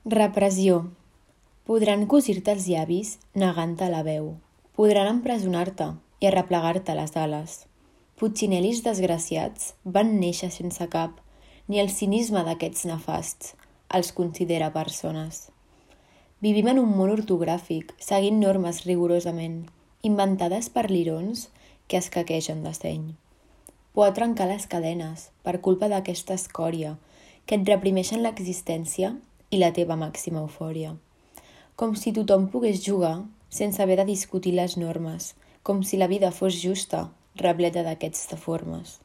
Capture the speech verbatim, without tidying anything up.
Repressió. Podran cosir-te els llavis negant-te la veu. Podran empresonar-te i arreplegar-te les ales. Putxinelis desgraciats van néixer sense cap, ni el cinisme d'aquests nefasts els considera persones. Vivim en un món ortogràfic, seguint normes rigorosament, inventades per lirons que es caquegen de seny. Pot trencar les cadenes per culpa d'aquesta escòria que et reprimeixen l'existència i la teva màxima eufòria. Com si tothom pogués jugar sense haver de discutir les normes, com si la vida fos justa, repleta d'aquests deformes.